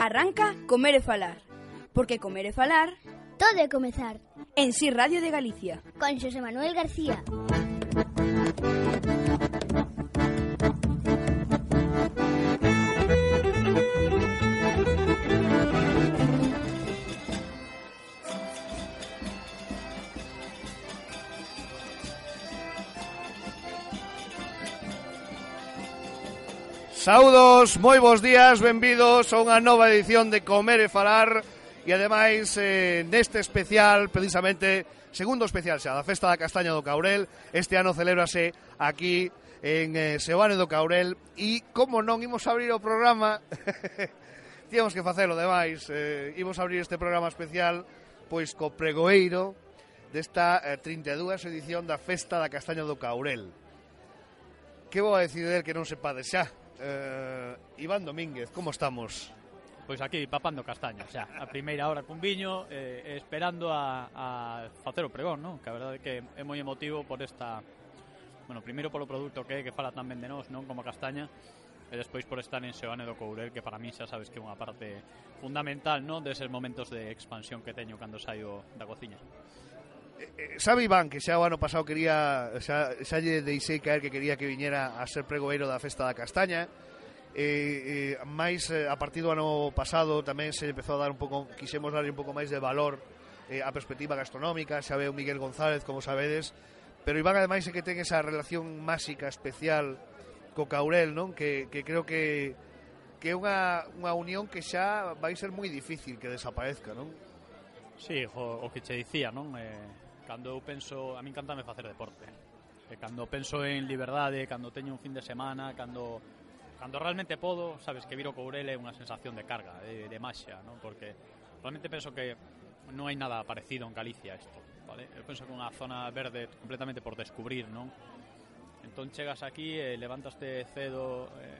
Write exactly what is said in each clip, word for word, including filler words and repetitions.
Arranca Comer e Falar, porque comer e falar todo é comezar. En Si Radio de Galicia, con Xosé Manuel García. Saudos, moi bons días, benvidos a unha nova edición de Comer e Falar. E ademais, eh, neste especial, precisamente, segundo especial xa, da Festa da Castaña do Caurel. Este ano celébrase aquí en eh, Seoane do Caurel. E, como non, imos abrir o programa, tíamos que facelo, ademais, eh, imos abrir este programa especial, pois, co pregoeiro desta eh, trinta e dúas edición da Festa da Castaña do Caurel. Que vou a decidir que non sepades xa? Uh, Iván Domínguez, como estamos? Pois aquí, papando castaña, xa, a primeira hora cun viño, eh, esperando a, a facer o pregón, non? Que a verdade é que é moi emotivo por esta... Bueno, primeiro polo produto que é, que fala tamén de nós, non? Como castaña, e despois por estar en Seoane do Caurel, que para mí xa sabes que é unha parte fundamental, non? Deses momentos de expansión que teño cando saio da cociña. Sabe Iván que xa o ano pasado quería, xa, xa lle deixei caer que quería que viñera a ser pregoeiro da Festa da Castaña, e, e máis a partir do ano pasado tamén se empezou a dar un pouco, quixemos darlle un pouco máis de valor eh, a perspectiva gastronómica. Xa veo Miguel González, como sabedes, pero Iván ademais é que ten esa relación máxica especial co Caurel, non? Que, que creo que que é unha, unha unión que xa vai ser moi difícil que desaparezca, non? Sí, o, o que che dicía, non? Eh... Cando eu penso, a min encantame facer deporte. E cando penso en liberdade, cando teño un fin de semana, cando cando realmente podo, sabes que vir o Caurel é unha sensación de carga, de, de maxia, non? Porque realmente penso que non hai nada parecido en Galicia isto, vale? Eu penso que é unha zona verde completamente por descubrir, non? Entón chegas aquí e levantaste cedo, eh,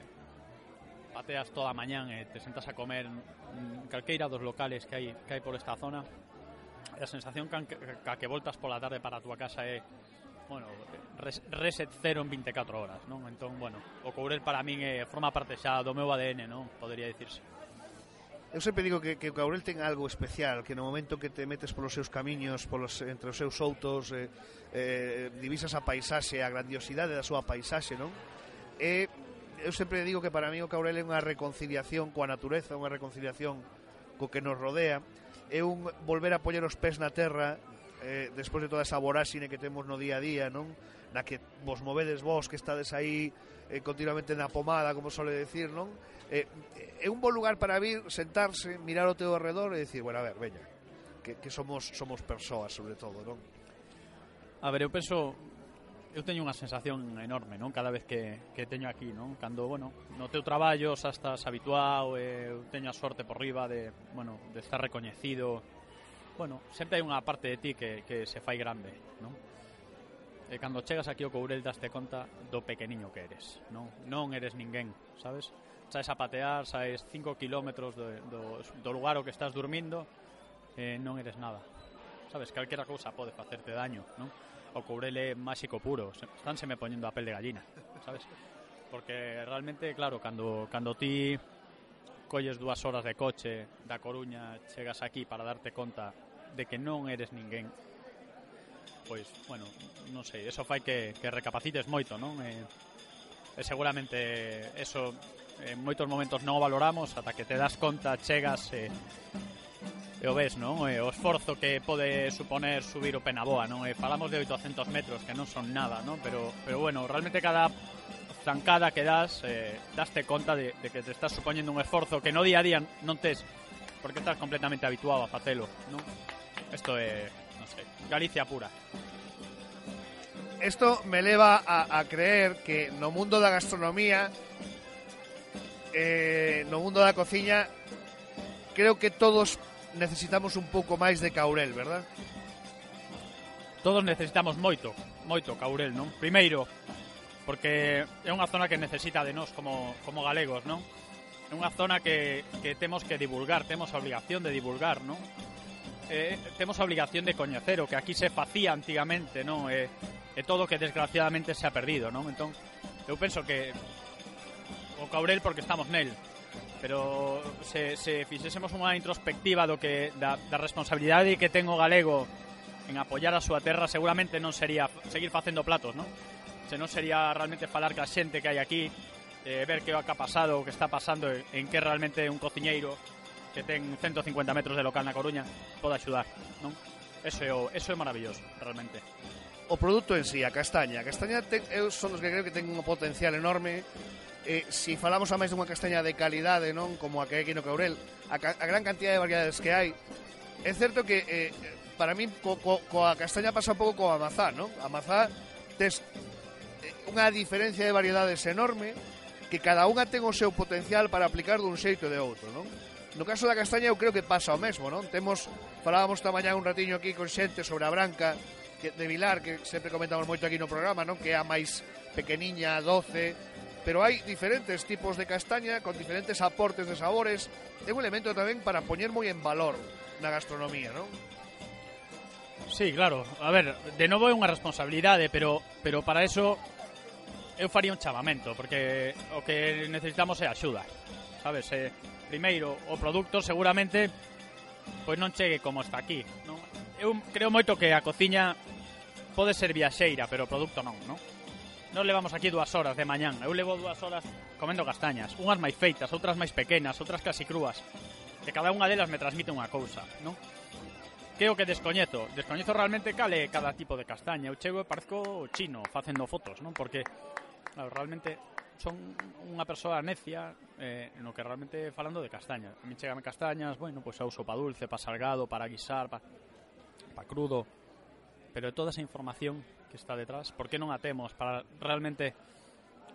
pateas toda a mañán e te sentas a comer en calqueira dos locales que hai que hai por esta zona. A sensación que, que, que voltas pola tarde para a túa casa é, bueno, res, reset cero en vinte e catro horas, non? Entón, bueno, o Caurel para min é, forma parte xa do meu A D N, non? Podería dicirse. Eu sempre digo que, que o Caurel ten algo especial, que no momento que te metes polos seus camiños, polos, entre os seus outos, eh, eh, divisas a paisaxe, a grandiosidade da súa paisaxe, non? E eu sempre digo que para mí o Caurel é unha reconciliación coa natureza, unha reconciliación co que nos rodea. É un volver a poñer os pés na terra eh, despois de toda esa voráxine que temos no día a día, non? Na que vos movedes vos, que estades aí eh, continuamente na pomada, como sole decir, non? Eh, é un bon lugar para vir, sentarse, mirar ao teu arredor e dicir, bueno, a ver, veña, que, que somos somos persoas, sobre todo, non? A ver, eu penso, eu teño unha sensación enorme, non? Cada vez que, que teño aquí, non? Cando, bueno, no teu traballo xa estás habituado, e eu teño a sorte por riba de, bueno, de estar recoñecido. Bueno, sempre hai unha parte de ti que, que se fai grande, non? E cando chegas aquí ao Caurel daste conta do pequeniño que eres, non? Non eres ninguén, sabes? Saes a patear, saes cinco kilómetros do, do, do lugar ao que estás dormindo, e non eres nada, sabes? Calquera cousa pode facerte daño, non? O Caurel é máxico puro, estánse me poñendo a pel de gallina, sabes? Porque realmente, claro, cando, cando ti colles dúas horas de coche da Coruña, chegas aquí para darte conta de que non eres ninguén, pois, bueno, non sei, eso fai que, que recapacites moito, non? E, e seguramente eso en moitos momentos non o valoramos ata que te das conta, chegas e... E o ves, non? E o esforzo que pode suponer subir o Penaboa, non? E falamos de oitocentos metros, que non son nada, non? Pero, pero bueno, realmente cada zancada que das, eh, daste conta de, de que te estás supoñendo un esforzo que no día a día non tes, porque estás completamente habituado a facelo, non? Isto é, non sei, Galicia pura. Isto me leva a, a creer que no mundo da gastronomía, eh, no mundo da cociña, creo que todos necesitamos un pouco máis de Caurel, verdad? Todos necesitamos moito, moito Caurel, non? Primeiro, porque é unha zona que necesita de nós como, como galegos, non? É unha zona que, que temos que divulgar, temos a obligación de divulgar, non? Eh, temos a obligación de coñecer o que aquí se facía antigamente, non? E, e todo que desgraciadamente se ha perdido, non? Entón, eu penso que o Caurel porque estamos nel, pero se, se fixésemos unha introspectiva do que da, da responsabilidade que ten o galego en apoiar a súa terra, seguramente non sería seguir facendo platos, non? Se non sería realmente falar ca xente que hai aquí, eh, ver que o que ha pasado, o que está pasando, en que realmente un cociñeiro que ten ciento cincuenta metros de local na Coruña pode axudar, non? Eso é, o, eso é maravilloso, realmente. O produto en sí, a castaña. A castaña ten, eu son os que creo que ten un potencial enorme. Eh, si falamos a máis dunha castaña de calidade, non, como a que hai aquí no Caurel, a, ca, a gran cantidad de variedades que hai, é certo que eh, para mí co, co, coa castaña pasa un pouco coa mazá, non? A mazá tes unha diferencia de variedades enorme, que cada unha ten o seu potencial para aplicar dun xeito e de outro, non? No caso da castaña eu creo que pasa o mesmo, non? Temos, falábamos esta mañá un ratiño aquí con xente sobre a branca que, de Vilar, que sempre comentamos moito aquí no programa, non? Que é a máis pequeniña, doce, pero hai diferentes tipos de castaña con diferentes aportes de sabores. É un elemento tamén para poñer moi en valor na gastronomía, non? Sí, claro. A ver, de novo é unha responsabilidade, pero pero para eso eu faría un chamamento, porque o que necesitamos é axuda, sabes? Eh, primeiro, o produto seguramente pois non chegue como está aquí, non? Eu creo moito que a cociña pode ser viaxeira, pero o produto non, non? Non levamos aquí dúas horas de mañán, eu levo dúas horas comendo castañas, unhas máis feitas, outras máis pequenas, outras casi crúas, e cada unha delas me transmite unha cousa, non? Que é o que descoñezo, descoñezo realmente cale cada tipo de castaña. Eu chego e parezco chino facendo fotos, non? Porque claro, realmente son unha persoa necia eh, no que realmente falando de castaña. A mí chegame castañas, bueno, pois pues, a uso pa dulce, pa salgado, para guisar, pa, pa crudo. Pero de toda esa información que está detrás, por que non a temos para realmente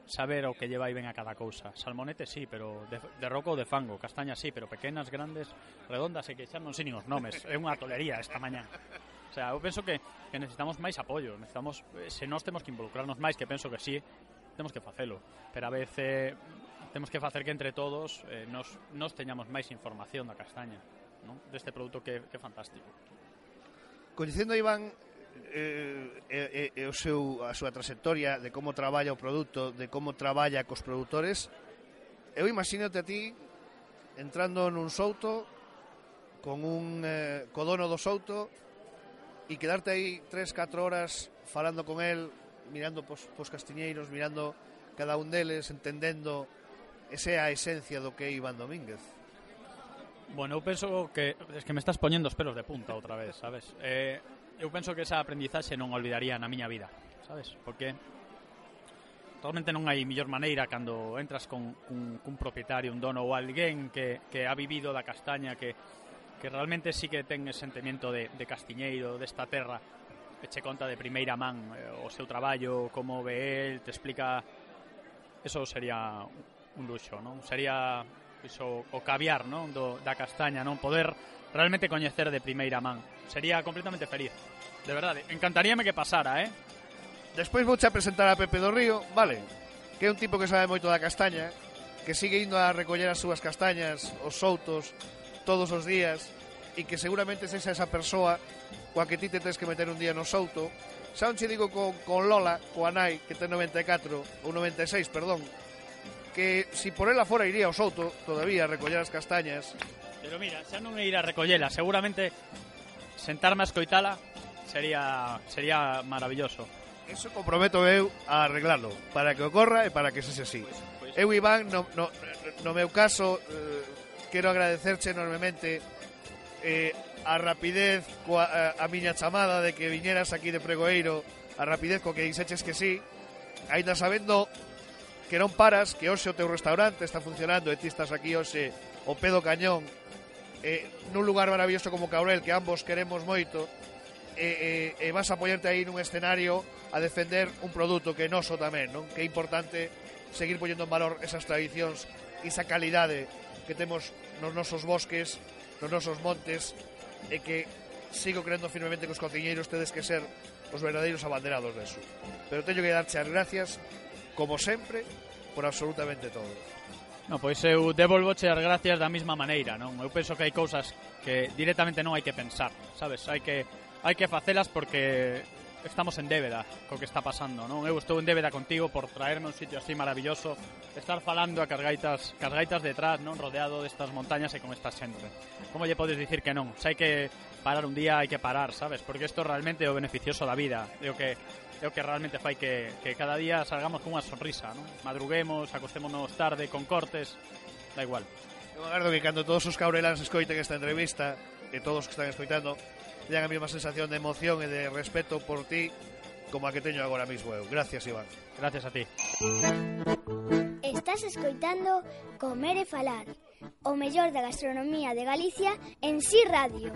saber o que lleva aí ben a cada cousa? Salmonete sí, pero de, de roco ou de fango. Castañas sí, pero pequenas, grandes, redondas, e que xa non sei nin os nomes. É unha tolería esta mañá. O sea, eu penso que, que necesitamos máis apoio, necesitamos, se nós temos que involucrarnos máis, que penso que sí, temos que facelo, pero a veces temos que facer que entre todos eh, nos, nos teñamos máis información da castaña, non? Deste produto que, que é fantástico. Coñecendo a Iván eh, eh, eh, o seu, a súa trayectoria de como traballa o produto, de como traballa cos produtores, eu imagínate a ti entrando nun souto con un eh, co dono do souto e quedarte aí tres, catro horas falando con el, mirando pos, pos castiñeiros, mirando cada un deles, entendendo esa é a esencia do que é Iván Domínguez. Bueno, eu penso que es que me estás poñendo os pelos de punta outra vez, sabes? Eh, eu penso que esa aprendizaxe non olvidaría na miña vida, sabes? Porque realmente non hai millor maneira cando entras con un, un propietario, un dono ou alguén que, que ha vivido da castaña, que, que realmente sí que ten ese sentimiento de, de castiñeiro, desta terra, que che conta de primeira man eh, o seu traballo, como ve el, te explica. Eso sería un luxo, non? Sería iso, o caviar, non? Do, da castaña, non? Poder realmente coñecer de primeira man. Sería completamente feliz, de verdade. Encantaríame que pasara, eh? Despois vouche a presentar a Pepe do Río, vale, que é un tipo que sabe moito da castaña, que sigue indo a recoller as súas castañas, os soutos, todos os días, e que seguramente sexa esa persoa coa que ti te tens que meter un día no souto. Xa non che digo con, con Lola, coa nai, que ten noventa e catro, ou noventa e seis, perdón, que si por ela fora iría ao souto todavía a recoller as castañas. Pero mira, xa non é ir a recollela, seguramente sentarme a escoitala sería sería maravilloso. Eso comprometo eu a arreglarlo, para que ocorra e para que sexe así. Pues, pues... Eu, Iván, no, no, no meu caso, eh, quero agradecerche enormemente eh, a rapidez coa, a, a miña chamada de que viñeras aquí de Pregoeiro, a rapidez co que dixeches que sí, aínda sabendo que non paras, que hoxe o teu restaurante está funcionando e ti estás aquí hoxe o pé do cañón, eh, nun lugar maravilloso como Caurel, que ambos queremos moito, e, e, e vas a poñerte aí nun escenario a defender un produto que é noso tamén, non? Que é importante seguir poñendo en valor esas tradicións e esa calidade que temos nos nosos bosques, nos nosos montes, e que sigo creendo firmemente que os cociñeiros tedes que ser os verdadeiros abanderados deso. Pero teño que darche as gracias, como sempre, por absolutamente todo. No, pois eu devolvoche as gracias da mesma maneira, non? Eu penso que hai cousas que directamente non hai que pensar, sabes? Hai que hai que facelas porque estamos en débeda co que está pasando, non? Eu estou en débeda contigo por traerme un sitio así maravilloso, estar falando a cargaitas, cargaitas detrás, non? Rodeado destas montañas e con esta xente. Como lle podes dicir que non? Se hai que parar un día, hai que parar, sabes? Porque isto realmente é o beneficioso da vida, é o que é o que realmente fai que, que cada día salgamos con unha sonrisa, non? Madruguemos, acostémonos tarde, con cortes, da igual. Eu agardo que cando todos os caurelans escoiten esta entrevista, e todos que están escoitando, teñan a mesma sensación de emoción e de respeto por ti como a que teño agora mismo eu. Gracias, Iván. Gracias a ti. Estás escoitando Comer e Falar, o mellor da gastronomía de Galicia en Si Radio.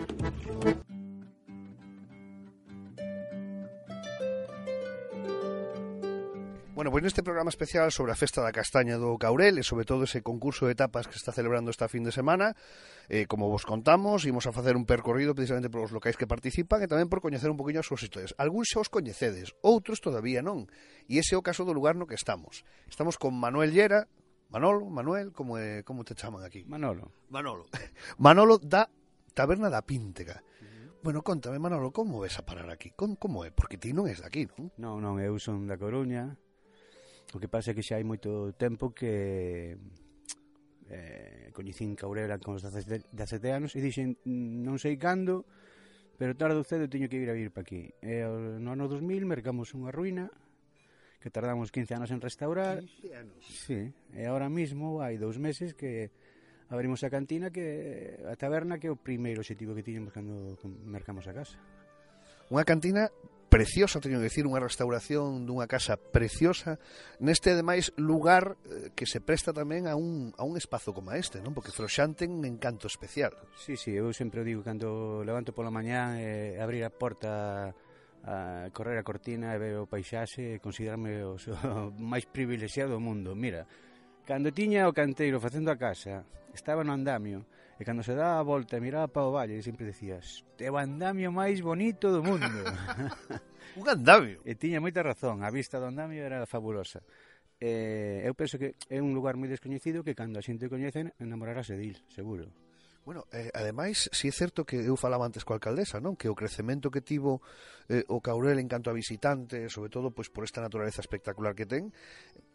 Bueno, pois neste programa especial sobre a Festa da Castaña do Caurel e sobre todo ese concurso de etapas que se está celebrando esta fin de semana, eh, como vos contamos, imos a facer un percorrido precisamente por os locais que participan e tamén por coñecer un poquinho as súas historias. Algúns xa os coñecedes, outros todavía non, e ese é o caso do lugar no que estamos. Estamos con Manuel Llera. Manolo, Manuel, como é, como te chaman aquí? Manolo. Manolo. Manolo da Taberna da Píntega. Bueno, contame, Manolo, como ves a parar aquí? Como, como é? Porque ti non és daqui, non? Non, non, eu son da Coruña. O que pasa é que xa hai moito tempo que eh, coñecín Caurela con os dezasete anos e dixen, non sei cando, pero tarde ou cedo teño que ir a vir para aquí. E no ano dos mil mercamos unha ruína que tardamos quince anos en restaurar. quince anos. Sí, e ahora mismo hai dous meses que abrimos a cantina, que a taberna, que é o primeiro objetivo que tiñamos cando mercamos a casa. Unha cantina preciosa, teño que decir, unha restauración dunha casa preciosa, neste ademais lugar eh, que se presta tamén a un, a un espazo como este, non? Porque Froxán ten un encanto especial. Sí, sí, eu sempre o digo, cando levanto pola mañá e eh, abrir a porta, a correr a cortina e ver o paisaxe, considerarme o, o máis privilexiado do mundo. Mira, cando tiña o canteiro facendo a casa, estaba no andamio, e cando se daba a volta e miraba para o valle, sempre decías, é o andamio máis bonito do mundo. Un andamio. E tiña moita razón, a vista do andamio era fabulosa. E eu penso que é un lugar moi descoñecido que cando a xente o coñece enamorarase dil, seguro. Bueno, eh, ademais, si é certo que eu falaba antes coa alcaldesa, non? Que o crecemento que tivo eh, o Caurel en canto a visitantes, sobre todo pois por esta naturaleza espectacular que ten,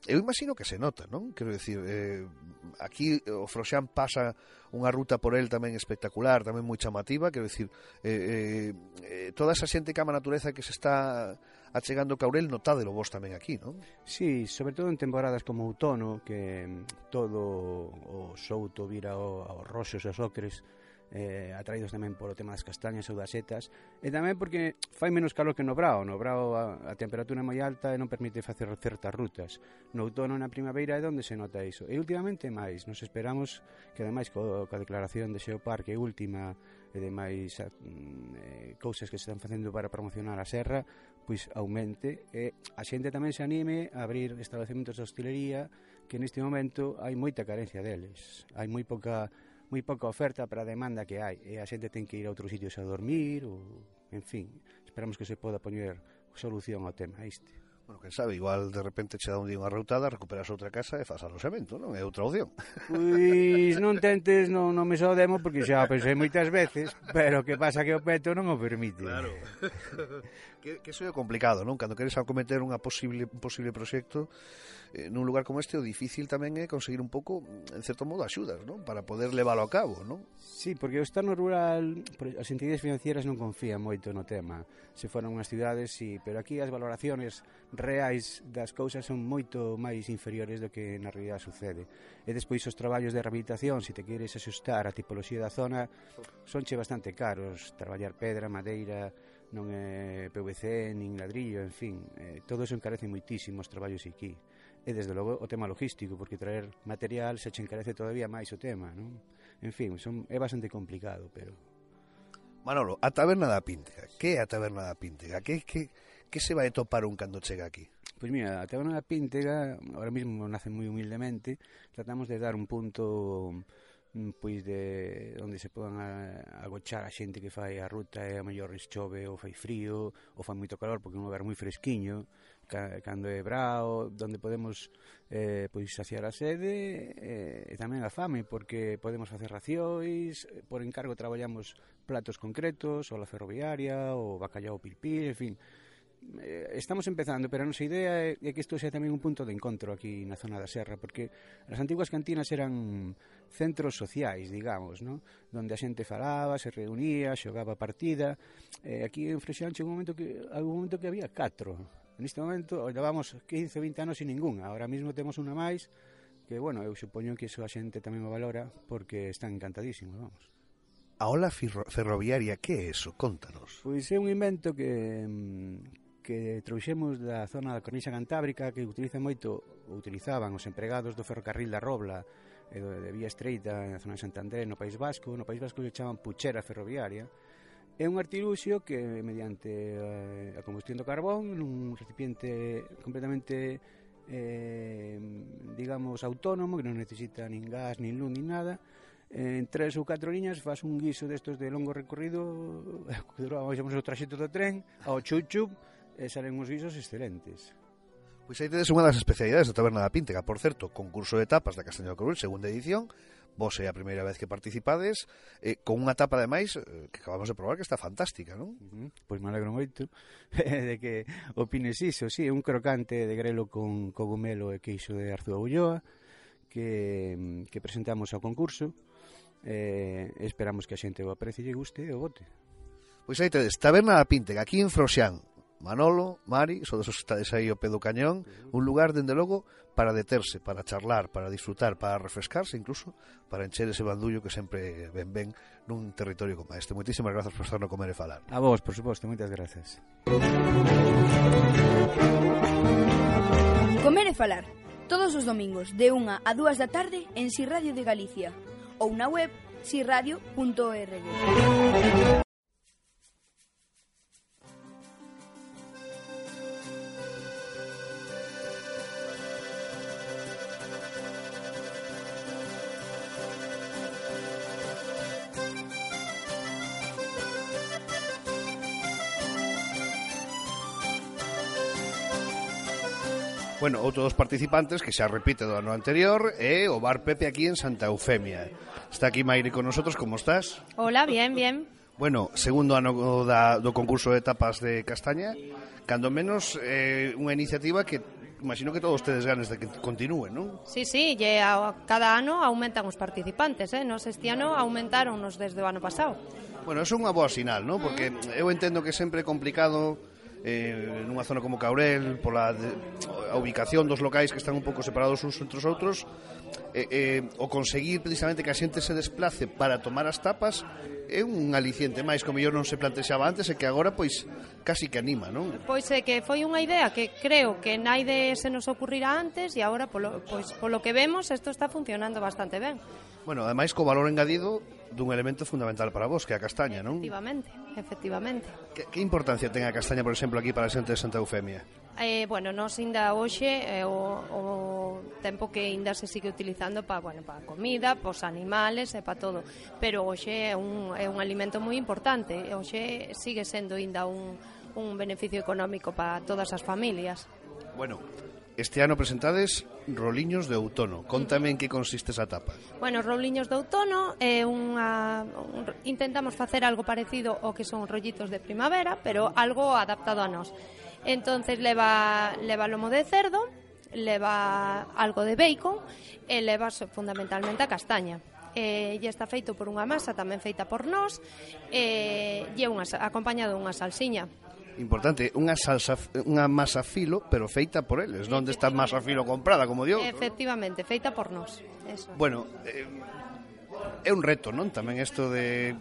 eu imagino que se nota, non? Quero dicir, eh, aquí o Froxán pasa unha ruta por el tamén espectacular, tamén moi chamativa, quero dicir, eh, eh, toda esa xente que ama a natureza que se está achegando Caurel, notádelo vos tamén aquí, non? Sí, sobre todo en temporadas como outono, que todo o souto vira aos roxos e aos ocres, eh, atraídos tamén polo tema das castañas ou das setas, e tamén porque fai menos calor que no brao. No brao a, a temperatura é moi alta e non permite facer certas rutas. No outono e na primavera é onde se nota iso. E últimamente máis, nos esperamos que ademais co, coa declaración de Xeoparque última e demais eh, cousas que se están facendo para promocionar a serra, pois aumente e a xente tamén se anime a abrir establecementos de hostelería, que neste momento hai moita carencia deles. Hai moi pouca moi pouca oferta para a demanda que hai, e a xente ten que ir a outros sitios a dormir, ou, en fin, esperamos que se poda poñer solución ao tema este. Bueno, quen sabe, igual de repente che dá un día unha routada, recuperas outra casa e faz aloxamento, non? É outra opción. Pois non tentes, non, non me só demo, porque xa pensei moitas veces, pero que pasa que o peto non o permite. Claro. que, que eso é complicado, non? Cando queres acometer unha posible, un posible proxecto eh, nun lugar como este, o difícil tamén é conseguir un pouco, en certo modo, axudas, non? Para poder leválo a cabo, non? Sí, porque o estar no rural, as entidades financieras non confían moito no tema. Se foran unhas cidades, sí, pero aquí as valoraciones reais das cousas son moito máis inferiores do que na realidade sucede. E despois os traballos de rehabilitación, se te queres axustar a tipoloxía da zona, sonche bastante caros. Traballar pedra, madeira, non é P V C, nin ladrillo, en fin, eh, todo eso encarece moitísimo os traballos aquí. E desde logo o tema logístico, porque traer material se che encarece todavía máis o tema, non? En fin, son, é bastante complicado, pero... Manolo, a Taberna da Píntega. Que é a Taberna da Píntega? Que, que, que se vai topar un cando chega aquí? Pois mira, a Taberna da Píntega, ahora mesmo nace moi humildemente, tratamos de dar un punto pois de onde se podan agochar a xente que fai a ruta, e a mellor chove ou fai frío ou fai moito calor porque é un lugar moi fresquiño, cando é brao, onde podemos eh, pois saciar a sede e, e tamén a fame, porque podemos facer racióis, por encargo traballamos platos concretos, ou la ferroviaria, ou bacallao pilpil, en fin, eh, estamos empezando, pero a nosa idea é, é que isto sea tamén un punto de encontro aquí na zona da Serra, porque as antiguas cantinas eran centros sociais, digamos, ¿no? Donde a xente falaba, se reunía, xogaba partida. Eh, aquí en Freixán chegou un momento que, algún momento que había catro. Neste momento levamos quince, vinte anos sin ninguna. Ahora mismo temos unha máis, que, bueno, eu supoño que iso a xente tamén o valora, porque están encantadísimos, vamos. A ola ferroviaria, que é eso? Contanos. Pois é un invento que, que trouxemos da zona da Cornixa Cantábrica, que utiliza moito, utilizaban os empregados do ferrocarril da Robla e do, de Vía Estreita na zona de Santander, no País Vasco. No País Vasco lle chaman puchera ferroviaria. É un artiluxio que, mediante eh, a combustión do carbón, nun recipiente completamente, eh, digamos, autónomo, que non necesita nin gas, nin luz, nin nada, en tres ou catro liñas faz un guiso destos de longo recorrido, que duramos o traxecto do tren ao chup-chup, e salen uns guisos excelentes. Pois aí tedes unha das especialidades da Taberna da Píntega, por certo, concurso de tapas da Castaña do Coruel, segunda edición. Vos é a primeira vez que participades, eh, con unha tapa ademais eh, que acabamos de probar que está fantástica, non? Uh -huh. Pois me alegro moito de que opines iso. Sí, é un crocante de grelo con cogumelo e queixo de Arzúa Ulloa que, que presentamos ao concurso. Eh, esperamos que a xente o aprecie e guste e o bote. Pois aí tedes, Taberna da Píntega, aquí en Froxán. Manolo, Mari, sodes os que estades aí ao pé do cañón, un lugar, dende logo, para deterse, para charlar, para disfrutar, para refrescarse, incluso para encher ese bandullo que sempre ven ben nun territorio como este. Moitísimas grazas por estar no Comer e Falar. A vos, por suposto, moitas grazas. Comer e Falar, todos os domingos de unha a dúas da tarde en Si Radio de Galicia ou na web si radio punto org. Bueno, outro dos participantes que xa repite do ano anterior é o Bar Pepe aquí en Santa Eufemia. Está aquí Maire con nosotros, como estás? Hola, bien, bien. Bueno, segundo ano da, do concurso de tapas de Castaña, cando menos eh, unha iniciativa que imagino que todos tedes ganes de que continúe, non? Sí, sí, e a, cada ano aumentan os participantes, eh? Nos este ano aumentaronnos desde o ano pasado. Bueno, eso é unha boa sinal, non? Porque eu entendo que sempre é complicado eh, nunha zona como Caurel, pola de, a ubicación dos locais que están un pouco separados uns entre os outros, eh, eh, o conseguir precisamente que a xente se desplace para tomar as tapas é un aliciente máis que o mellor non se plantexaba antes e que agora pois casi que anima, non? Pois é que foi unha idea que creo que naide se nos ocurrirá antes e agora polo, pois, polo que vemos isto está funcionando bastante ben. Bueno, ademais co valor engadido dun elemento fundamental para vos, que é a castaña, non? Efectivamente, efectivamente. Que, que importancia ten a castaña, por exemplo, aquí para a xente de Santa Eufemia? Eh, bueno, nos ainda hoxe eh, o, o tempo que ainda se sigue utilizando para, bueno, para comida, para os animales e para todo, pero hoxe é un, é un alimento moi importante, hoxe sigue sendo ainda un, un beneficio económico para todas as familias. Bueno, este ano presentades roliños de outono. Contame en que consiste esa tapa. Bueno, os roliños de outono é unha un, intentamos facer algo parecido ao que son rollitos de primavera, pero algo adaptado a nós. Entonces leva leva lomo de cerdo, leva algo de bacon e leva fundamentalmente a castaña. Eh, e está feito por unha masa tamén feita por nós e, e unha, acompañado dunha salsiña. Importante, unha salsa, unha masa filo, pero feita por eles, non desta masa filo comprada, como digo. Efectivamente, feita por nós. Eso. Bueno, eh, é un reto, non? Tamén isto de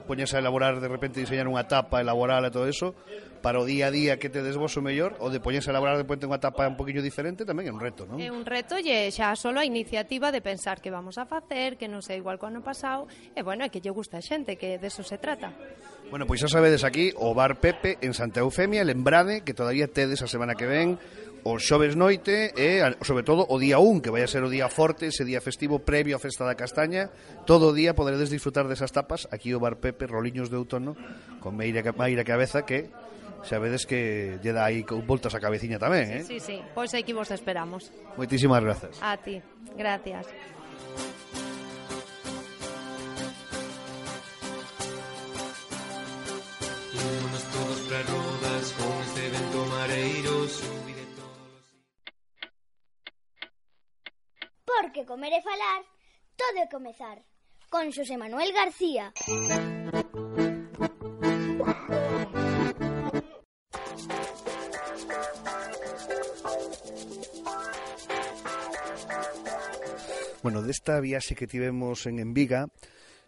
poñerse a elaborar, de repente diseñar unha tapa, elaborala e todo eso, para o día a día que tedes vos o mellor, ou de poñerse a elaborar de repente unha tapa un poquinho diferente, tamén é un reto, non? É un reto e xa solo a iniciativa de pensar que vamos a facer, que non sei igual co ano pasado, e bueno, é que lle gusta a xente, que de eso se trata. Bueno, pois xa sabedes aquí o Bar Pepe en Santa Eufemia, lembrade que todavía tedes a semana que ven o xoves noite e, sobre todo, o día un, que vai a ser o día forte, ese día festivo previo á Festa da Castaña. Todo o día poderedes disfrutar desas tapas aquí o Bar Pepe, roliños de outono, con Meira, Meira Cabeza, que xa vedes que lle dá aí voltas a cabeciña tamén, eh? Sí, sí, pois aquí vos esperamos. Moitísimas grazas. A ti, gracias. Vámonos todos para Rodas con este evento porque comer e falar todo é comezar. Con Xosé Manuel García. Bueno, desta viaxe que tivemos en Enviga,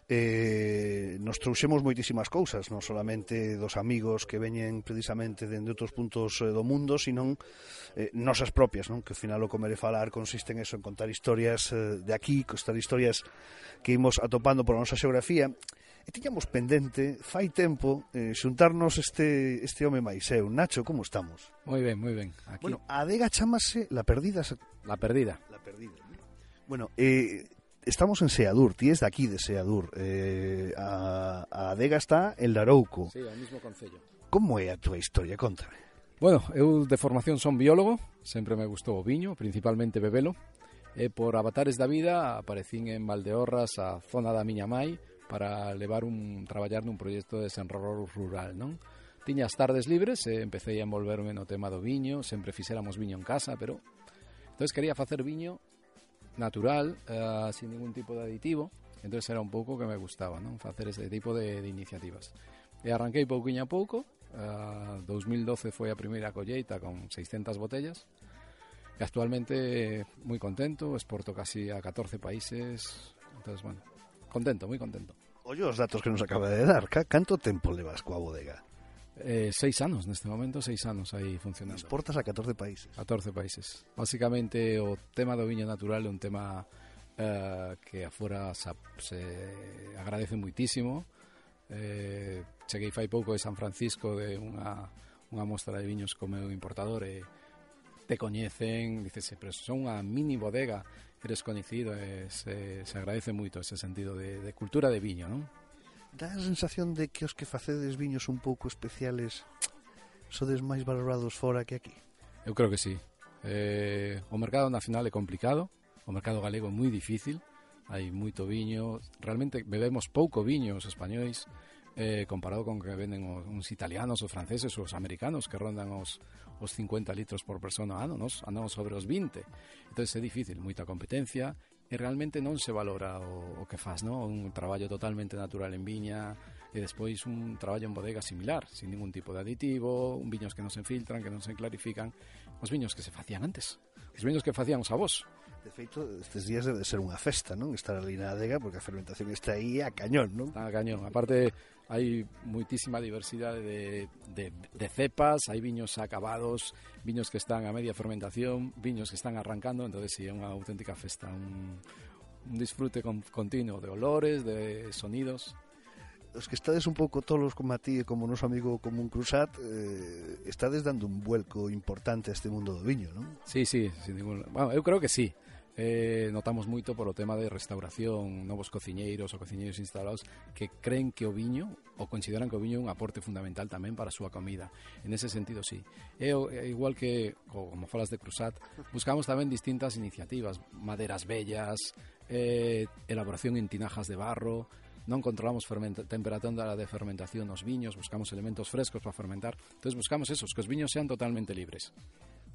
eh, nos trouxemos moitísimas cousas, non solamente dos amigos que veñen precisamente dende outros puntos eh, do mundo, sino eh, nosas propias, non? Que ao final o comer e falar consiste en eso, en contar historias eh, de aquí, contar historias que imos atopando pola nosa xeografía. E tiñamos pendente, fai tempo, eh, xuntarnos este, este home máis eu. Nacho, como estamos? Moi ben, moi ben. Aquí. Bueno, a adega chamase La Perdida. La Perdida. La Perdida. Bueno, eh, estamos en Seadur, ti es de aquí de Seadur. Eh, a, a adega está en Larouco. Sí, ao mismo concello. Como é a túa historia? Contame. Bueno, eu de formación son biólogo, sempre me gustou o viño, principalmente bebelo, e por avatares da vida aparecín en Valdeorras, a zona da miña mai, para levar un traballar nun proxecto de desenrolo rural, non? Tiña as tardes libres e empecé a envolverme no tema do viño, sempre fixéramos viño en casa, pero entonces quería facer viño natural, uh, sin ningún tipo de aditivo, entonces era un pouco que me gustaba, non? Facer ese tipo de, de iniciativas. E arranquei pouquiño a pouco, uh, dos mil doce foi a primeira colleita con seiscentas botellas, e actualmente moi contento, exporto casi a catorce países, entonces, bueno, contento, moi contento. Oye, os datos que nos acaba de dar, canto tempo levas coa bodega? Eh, seis anos, neste momento, seis anos aí funcionando. Exportas a catorce países. catorce países. Básicamente, o tema do viño natural é un tema eh, que afora se, se agradece muitísimo. Eh, cheguei fai pouco de San Francisco de unha, unha mostra de viños co meu importador e te coñecen, dices, pero son unha mini bodega, eres coñecido, e se, se agradece moito ese sentido de, de cultura de viño, non? Dá a sensación de que os que facedes viños un pouco especiales sodes máis valorados fora que aquí? Eu creo que sí. Eh, o mercado nacional é complicado, o mercado galego é moi difícil, hai moito viño, realmente bebemos pouco viño os españois, eh, comparado con que venden os, uns italianos, os franceses ou os americanos que rondan os, os cincuenta litros por persona ano, nos andamos sobre os vinte. Entón é difícil, moita competencia, e realmente non se valora o, o que faz, ¿no? Un traballo totalmente natural en viña e despois un traballo en bodega similar, sin ningún tipo de aditivo, un viños que non se filtran, que non se clarifican, os viños que se facían antes, os viños que facían os avós. De feito, estes días debe ser unha festa, non? Estar ali na adega, porque a fermentación está aí a cañón, non? Está a cañón. Aparte, hai moitísima diversidade de, de, de cepas, hai viños acabados, viños que están a media fermentación, viños que están arrancando, entonces sí, é unha auténtica festa, un, un disfrute con, continuo de olores, de sonidos. Os que estades un pouco tolos como a ti e como o noso amigo Común Cruzat, eh, estades dando un vuelco importante a este mundo do viño, non? Sí, sí, sin ningún... Bueno, eu creo que sí. Eh, notamos moito por o tema de restauración, novos cociñeiros ou cociñeiros instalados que creen que o viño ou consideran que o viño é un aporte fundamental tamén para a súa comida. En ese sentido, sí. E igual que, como falas de Cruzat, buscamos tamén distintas iniciativas, maderas bellas, eh, elaboración en tinajas de barro, non controlamos temperatura de fermentación nos viños, buscamos elementos frescos para fermentar, entonces buscamos esos, que os viños sean totalmente libres.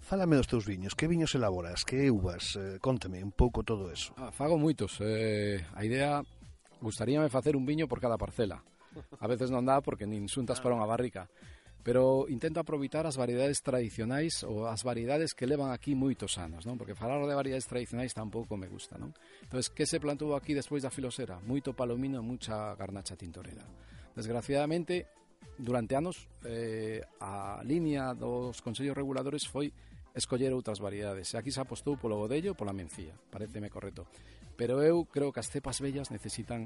Fálame dos teus viños, que viños elaboras, que uvas, eh, conteme un pouco todo eso. Ah, fago moitos, eh, a idea, gustaríame facer un viño por cada parcela, a veces non dá porque nin xuntas para unha barrica, pero intento aproveitar as variedades tradicionais ou as variedades que levan aquí moitos anos, non? Porque falar de variedades tradicionais tampouco me gusta, non? Entonces, que se plantou aquí despois da filosera? Moito palomino e mucha garnacha tintorera. Desgraciadamente, durante anos, eh, a línea dos consellos reguladores foi escoller outras variedades. Aquí se apostou polo godello e pola mencía, pareceme correcto. Pero eu creo que as cepas bellas necesitan,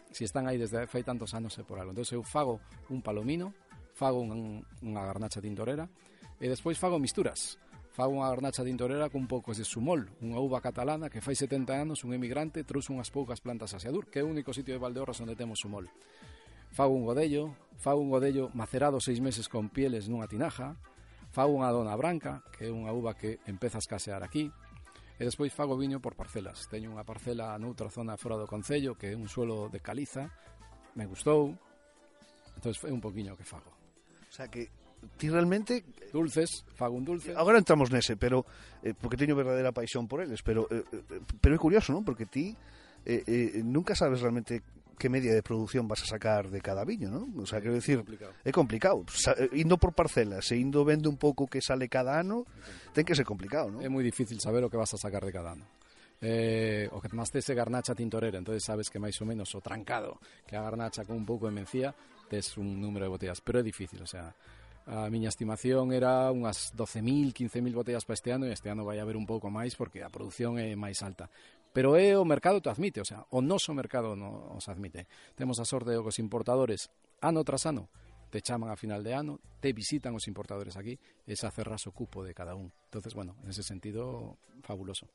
se si están aí desde fai tantos anos é por algo. Entón eu fago un palomino, fago un, unha garnacha tintorera e despois fago misturas. Fago unha garnacha tintorera con un pouco de sumol, unha uva catalana que fai setenta anos un emigrante trouxe unhas poucas plantas a Seadur, que é o único sitio de Valdeorras onde temos sumol. Fago un godello, fago un godello macerado seis meses con pieles nunha tinaja, fago unha dona branca, que é unha uva que empeza a escasear aquí, e despois fago viño por parcelas. Teño unha parcela noutra zona fora do concello, que é un suelo de caliza, me gustou, entón é un poquinho que fago. O sea que ti realmente... Dulces, fago un dulce. Agora entramos nese, pero eh, porque teño verdadeira paixón por eles, pero eh, pero é curioso, non? Porque ti eh, eh, nunca sabes realmente que media de produción vas a sacar de cada viño, non? O sea, quero dicir, é complicado. Sa, indo por parcelas e indo vendo un pouco que sale cada ano, ten que ser complicado, non? É moi difícil saber o que vas a sacar de cada ano. Eh, o que máis tes é garnacha tintorera, entonces sabes que máis ou menos o trancado que a garnacha con un pouco de mencía tes un número de botellas, pero é difícil, o sea, a miña estimación era unhas doce mil, quince mil botellas para este ano, e este ano vai haber un pouco máis porque a produción é máis alta. Pero é o mercado te admite, o sea, o noso mercado nos admite. Temos a sorte de que os importadores, ano tras ano, te chaman a final de ano, te visitan os importadores aquí, e se cerras o cupo de cada un. Entonces, bueno, en ese sentido, fabuloso.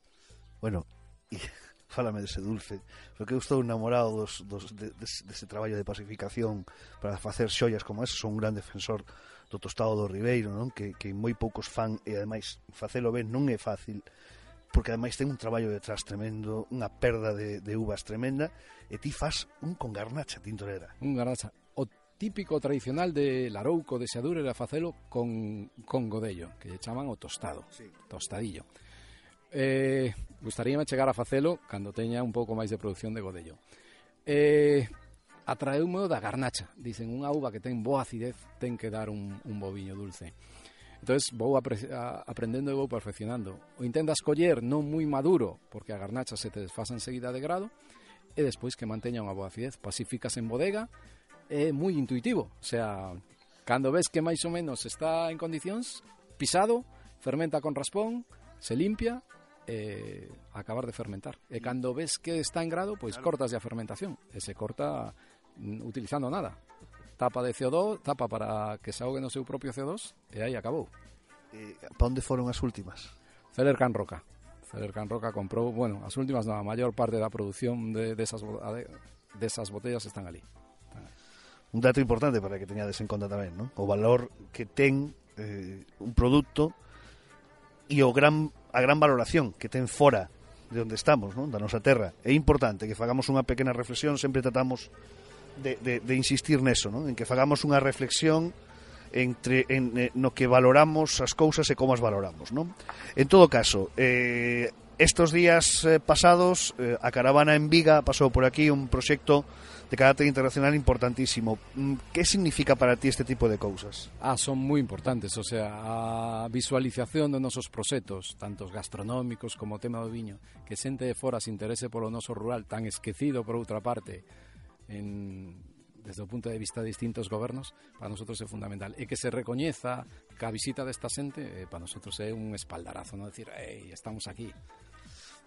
Bueno, e fálame dese dulce, porque eu estou enamorado dos, dos, de, dese, dese traballo de pacificación para facer xollas como ese. Son un gran defensor do tostado do Ribeiro, non? Que, que moi poucos fan, e ademais facelo ben non é fácil, porque ademais ten un traballo detrás tremendo, unha perda de, de uvas tremenda, e ti fas un con garnacha tintorera. Un garnacha. O típico tradicional de Larouco, de Seadur, era facelo con, con godello, que lle chaman o tostado, sí. Tostadillo. Eh, gustaríame chegar a facelo cando teña un pouco máis de produción de godello. Eh, atraeume da garnacha. Dicen, unha uva que ten boa acidez ten que dar un, un bo viño dulce. Entonces vou apre- a, aprendendo e vou perfeccionando. O intentas coller non moi maduro, porque a garnacha se te desfasa enseguida de grado, e despois que manteña unha boa acidez. Pasíficas en bodega, é moi intuitivo. O sea, cando ves que máis ou menos está en condicións, pisado, fermenta con raspón, se limpia, e acabar de fermentar. E cando ves que está en grado, pois cortas a fermentación. E se corta mm, utilizando nada. Tapa de C O dos, tapa para que se ahogue no seu propio C O dos, e aí acabou. Eh, para onde foron as últimas? Celler Can Roca. Celler Can Roca comprou, bueno, as últimas non, a maior parte da produción de, de, esas, de, de esas botellas están ali. Un dato importante para que teñades en conta tamén, non? O valor que ten eh, un produto e o gran, a gran valoración que ten fora de onde estamos, non? Da nosa terra. É importante que fagamos unha pequena reflexión, sempre tratamos de, de, de insistir neso, non? En que fagamos unha reflexión entre en, en, no que valoramos as cousas e como as valoramos, non? En todo caso, eh, estos días eh, pasados eh, a caravana en Viga pasou por aquí un proxecto de carácter internacional importantísimo. Que significa para ti este tipo de cousas? Ah, son moi importantes, o sea, a visualización dos nosos proxectos, tantos gastronómicos como o tema do viño, que xente de fora se interese polo noso rural tan esquecido por outra parte, en, desde o punto de vista de distintos gobernos, para nosotros é fundamental. E que se recoñeza que a visita desta xente, eh, para nosotros é un espaldarazo, non decir, ei, estamos aquí.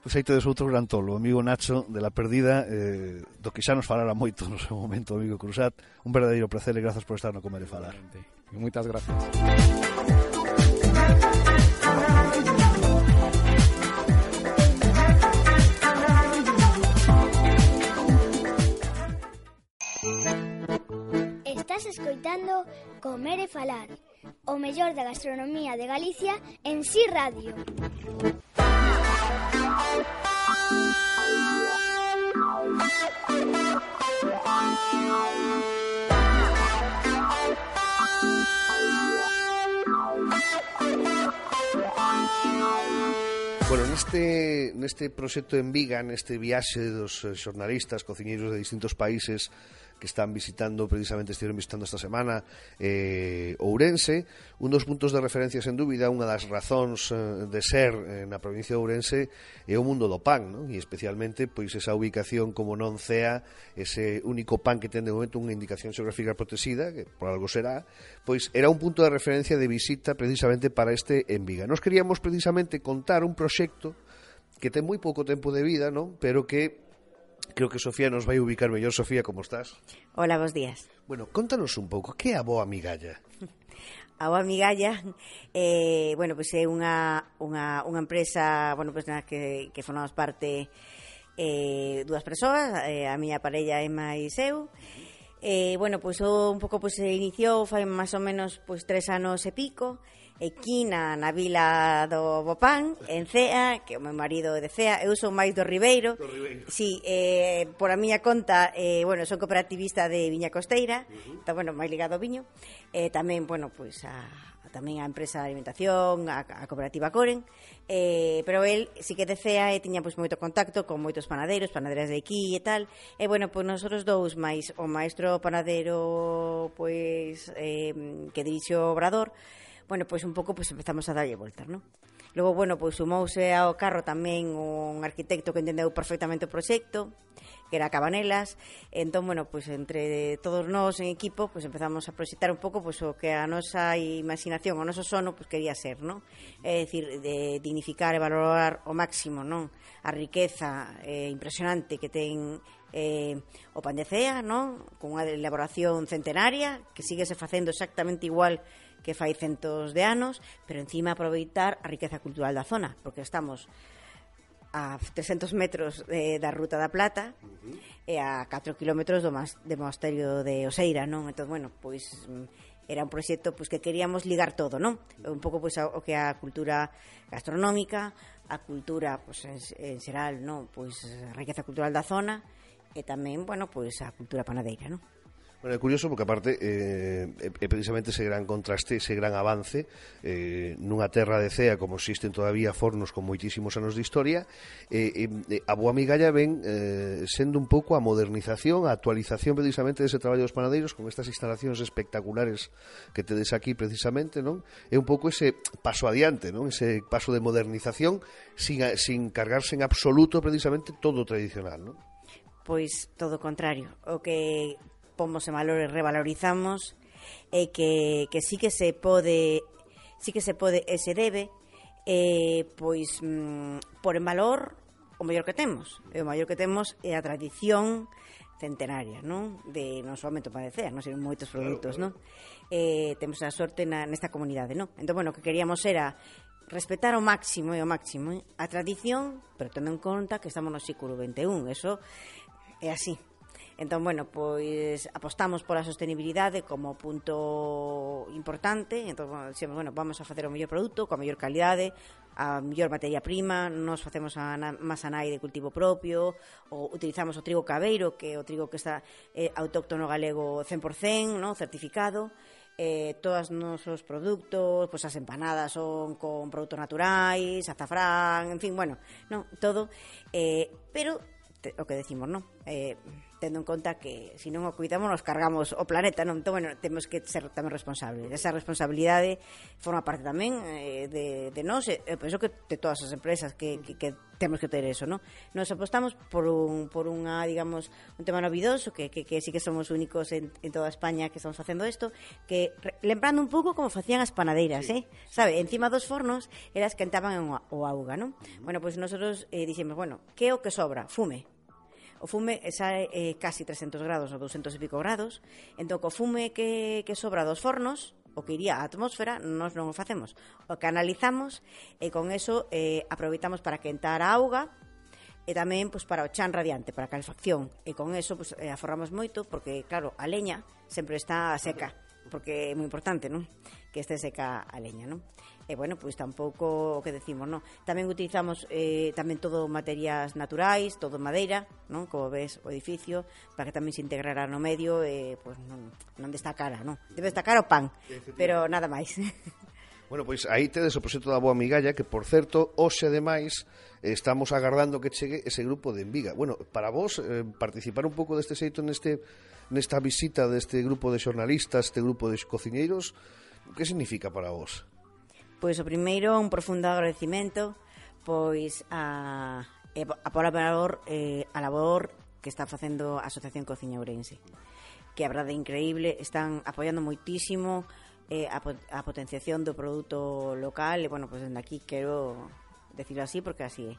Pois aí tedes outro gran tolo, o amigo Nacho de La Perdida, eh, do que xa nos falara moito no seu momento, amigo Cruzat. Un verdadeiro placer e grazas por estar no Comer e Falar. E moitas gracias. Estás escoitando Comer e Falar, o mellor da gastronomía de Galicia en Si Radio. Bueno, neste, neste proxecto en Viga, neste viaxe dos xornalistas, cociñeiros de distintos países que están visitando, precisamente estiveron visitando esta semana eh, Ourense, un dos puntos de referencia sen dúbida, unha das razóns eh, de ser eh, na provincia de Ourense é o mundo do pan, non? E especialmente pois esa ubicación como non cea, ese único pan que ten de momento unha indicación xeográfica protexida, que por algo será, pois era un punto de referencia de visita precisamente para este en Viga. Nos queríamos precisamente contar un proxecto que ten moi pouco tempo de vida, non? Pero que creo que Sofía nos vai ubicar mellor. Sofía, como estás? Hola, bons días. Bueno, contanos un pouco, que é a Boa Migalla? A Boa Migalla, eh, bueno, pois é unha, unha, unha empresa, bueno, pois na que, que formamos parte eh, dúas persoas, eh, a miña parella Emma e eu. Eh, bueno, pois o, un pouco pois se iniciou fai máis ou menos pois tres anos e pico. aquí na, na vila do Bopán, en Cea, que o meu marido é de Cea, eu son máis do Ribeiro. Do Ribeiro. Sí, eh, por a miña conta, eh, bueno, son cooperativista de Viña Costeira, uh-huh. Está, bueno, máis ligado ao viño. Eh, tamén, bueno, pois pues, a tamén a empresa de alimentación, a, a cooperativa Coren, eh, pero el sí que de Cea e tiña pois moito contacto con moitos panaderos, panaderas de aquí e tal, e bueno, pois nosotros dous máis o maestro panadero pois eh, que dirixe o obrador, bueno, pois un pouco pois empezamos a darlle voltas, non? Logo, bueno, pois sumouse ao carro tamén un arquitecto que entendeu perfectamente o proxecto, que era Cabanelas. Entón, bueno, pois entre todos nós en equipo, pois empezamos a proxectar un pouco pois o que a nosa imaginación, o noso sono, pois quería ser, non? É dicir, de dignificar e valorar ao máximo, non? A riqueza eh, impresionante que ten eh, o pan de Cea, non? Con unha elaboración centenaria que síguese facendo exactamente igual que fai centos de anos, pero encima aproveitar a riqueza cultural da zona, porque estamos a trescentos metros de, da Ruta da Plata, uh-huh. E a catro kilómetros do, mas, do monasterio de Oseira, non? Entón, bueno, pois era un proxecto pois que queríamos ligar todo, non? Un pouco pois o que a cultura gastronómica, a cultura pois en, en xeral, non? Pois a riqueza cultural da zona e tamén, bueno, pois a cultura panadeira, non? Bueno, é curioso porque aparte eh, é precisamente ese gran contraste, ese gran avance eh, nunha terra de Cea como existen todavía fornos con moitísimos anos de historia, eh, eh, a Boa Migalla ven eh, sendo un pouco a modernización, a actualización precisamente dese traballo dos panadeiros con estas instalacións espectaculares que tedes aquí precisamente, non? É un pouco ese paso adiante, non? Ese paso de modernización sin, sin cargarse en absoluto precisamente todo o tradicional, non? Pois todo o contrario, o que pomos en valor e revalorizamos e que, que sí que se pode sí que se pode e se debe eh, pois mm, por en valor o mellor que temos e o mellor que temos é a tradición centenaria, non? De non somente o pan de Cea, non sei, moitos produtos, non? Eh, temos a sorte na, nesta comunidade, non? Entón, bueno, o que queríamos era respetar ao máximo e ao máximo eh, a tradición, pero tendo en conta que estamos no século vinte e un, eso é así. Entón, bueno, pois apostamos pola sostenibilidade como punto importante. Entón, bueno, vamos a facer o mellor produto, coa mellor calidade, a mellor materia prima, nos facemos a masa nai de cultivo propio, ou utilizamos o trigo cabeiro, que é o trigo que está eh, autóctono galego cen por cen, ¿no? Certificado. Eh, todos os nosos produtos, pois as empanadas son con produtos naturais, azafrán, en fin, bueno, no, todo, eh, pero te, o que decimos, non? Eh, tendo en conta que se non o cuidamos nos cargamos o planeta, non? Entón, bueno, temos que ser tamén responsables. Esa responsabilidade forma parte tamén eh, de, de nós, e eh, penso que de todas as empresas que, que, que temos que ter eso, non? Nos apostamos por un por unha, digamos, un tema novidoso que, que, que sí que somos únicos en, en toda España que estamos facendo isto, que re, lembrando un pouco como facían as panadeiras, sí. eh? Sabe, encima dos fornos elas quentaban o auga, non? Bueno, pois pues nosotros eh, dixemos, bueno, que é o que sobra? Fume. O fume sae eh, casi trescentos grados ou doscientos e pico grados. Entón, co fume que, que sobra dos fornos, o que iría á atmósfera, nós non o facemos. O que analizamos e con eso eh, aproveitamos para quentar a auga e tamén pois, para o chan radiante, para a calefacción. E con eso pois, eh, aforramos moito porque, claro, a leña sempre está seca, porque é moi importante, non? Que este seca a leña, non? E, bueno, pois tampouco o que decimos, non? Tamén utilizamos eh, tamén todo materias naturais, todo madeira, non? Como ves o edificio, para que tamén se integrara no medio e, pois, non, non destacara, non? Debe destacar o pan, pero nada máis. Bueno, pois aí tedes o proxecto da Boa Migalla, que, por certo, hoxe, ademais, estamos agardando que chegue ese grupo de Enviga. Bueno, para vos, eh, participar un pouco deste xeito neste, nesta visita deste grupo de xornalistas, este grupo de cociñeiros, que significa para vos? Pois o primeiro, un profundo agradecimento pois a, a por a valor eh, a labor que está facendo a Asociación Cociña Ourense, que a verdade é increíble, están apoiando moitísimo eh, a, a potenciación do produto local e, bueno, pois dende aquí quero decirlo así porque así é,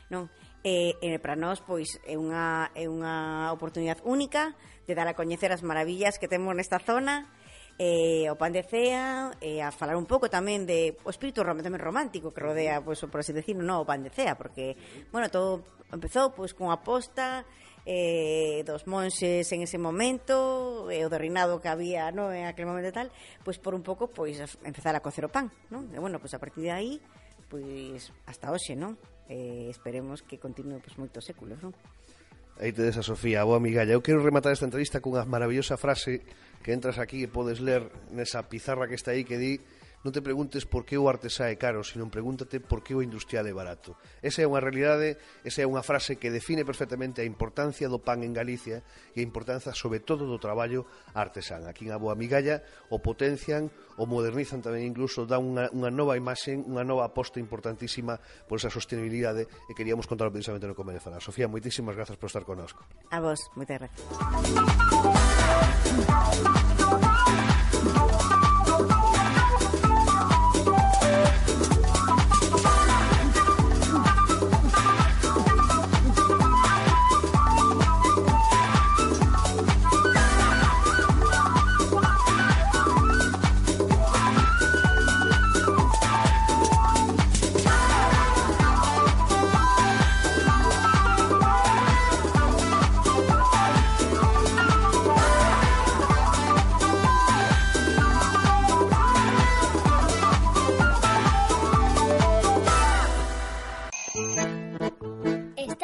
non? E, e para nós pois é unha, é unha oportunidade única de dar a coñecer as maravillas que temos nesta zona eh, o pan de cea, e eh, a falar un pouco tamén de o espírito tamén romántico que rodea, pues, por así decirlo, no, o pan de cea, porque, bueno, todo empezou pues, con a posta eh, dos monxes en ese momento, e eh, o do reinado que había, no, en aquel momento e tal, pues por un pouco pues, empezar a cocer o pan, non? E, bueno, pues a partir de aí, pues, hasta hoxe, non? Eh, esperemos que continue pues, moitos séculos, non? Aí tedes a Sofía, a boa migalla. Eu quero rematar esta entrevista cunha maravillosa frase que entras aquí e podes ler nesa pizarra que está aí que di: non te preguntes por que o artesá é caro, sino pregúntate por que o industrial é barato. Esa é unha realidade, esa é unha frase que define perfectamente a importancia do pan en Galicia e a importancia sobre todo do traballo artesán. Aquí en a boa migalla o potencian, o modernizan tamén, incluso dan unha, unha nova imaxe, unha nova aposta importantísima por esa sostenibilidade, e queríamos contarlo precisamente no Comer e Falar. Sofía, moitísimas grazas por estar connosco. A vos, moitas gracias.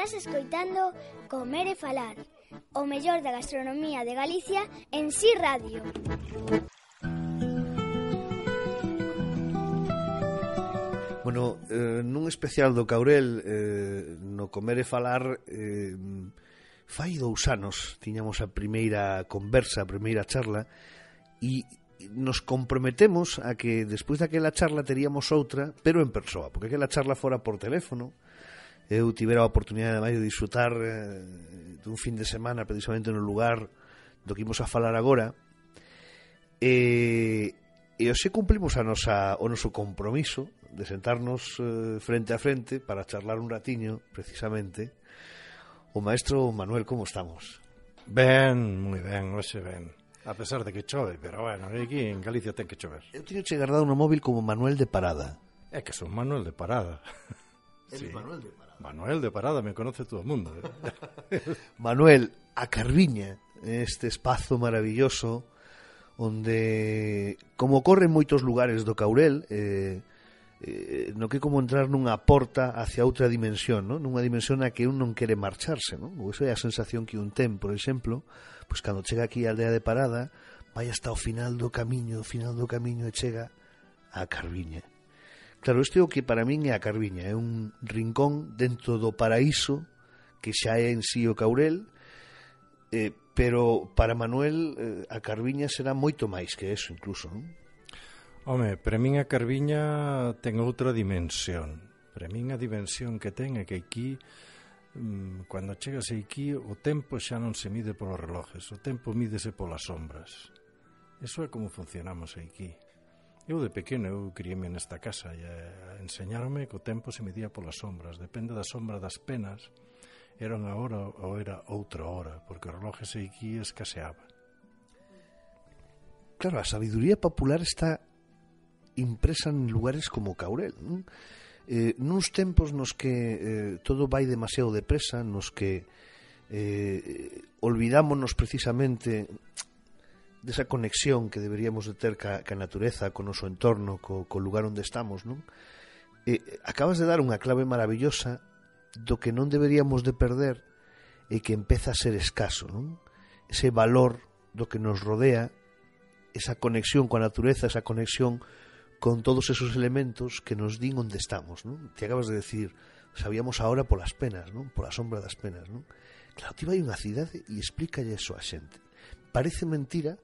Escoitando Comer e Falar, o mellor da gastronomía de Galicia en Si Radio. Bueno, eh, nun especial do Caurel, eh, no Comer e Falar, eh, fai dous anos tiñamos a primeira conversa, a primeira charla, e nos comprometemos a que despois daquela charla teríamos outra, pero en persoa, porque aquela charla fora por teléfono. Eu tivera a oportunidade de disfrutar eh, dun fin de semana precisamente no lugar do que imos a falar agora, e, e hoxe cumplimos a nosa, o noso compromiso de sentarnos eh, frente a frente para charlar un ratiño, precisamente. O maestro Manuel, como estamos? Ben, moi ben, hoxe ben. A pesar de que chove, pero bueno, aquí en Galicia ten que chover. Eu teño che guardado no móvil como Manuel de Parada. É que son Manuel de Parada. Sí. Manuel de Parada. Manuel de Parada, me conoce todo el mundo. ¿eh? Manuel, a Carviña, este espazo maravilloso onde, como ocorre en moitos lugares do Caurel, eh, eh, no que como entrar nunha porta hacia outra dimensión, ¿no? Nunha dimensión na que un non quere marcharse, ¿no? Ou esa é a sensación que un ten, por exemplo, pois cando chega aquí a aldea de Parada, vai hasta o final do camiño, o final do camiño e chega a Carviña. Claro, isto é o que para min é a Carviña, é un rincón dentro do paraíso que xa é en sí o Caurel, eh, pero para Manuel eh, a Carviña será moito máis que eso incluso, non? Home, para min a Carviña ten outra dimensión. Para min a dimensión que ten é que aquí, mmm, cando chegas aquí, o tempo xa non se mide polos relojes, o tempo mídese polas sombras. Eso é como funcionamos aquí. Eu de pequeno, eu criéme nesta casa e enseñaronme que o tempo se medía polas sombras. Depende da sombra das penas, era unha hora ou era outra hora, porque o reloje se aquí escaseaba. Claro, a sabiduría popular está impresa en lugares como Caurel, non? Eh, nuns tempos nos que eh, todo vai demasiado depresa, nos que eh, olvidámonos precisamente desa conexión que deberíamos de ter ca, ca natureza, co noso entorno, co, co lugar onde estamos, non? Eh, acabas de dar unha clave maravillosa do que non deberíamos de perder e que empeza a ser escaso, non? Ese valor do que nos rodea, esa conexión coa natureza, esa conexión con todos esos elementos que nos din onde estamos, non? Te acabas de decir, sabíamos ahora polas penas, non? Pola sombra das penas, non? Claro, ti vai a unha cidade e explícalle eso a xente. Parece mentira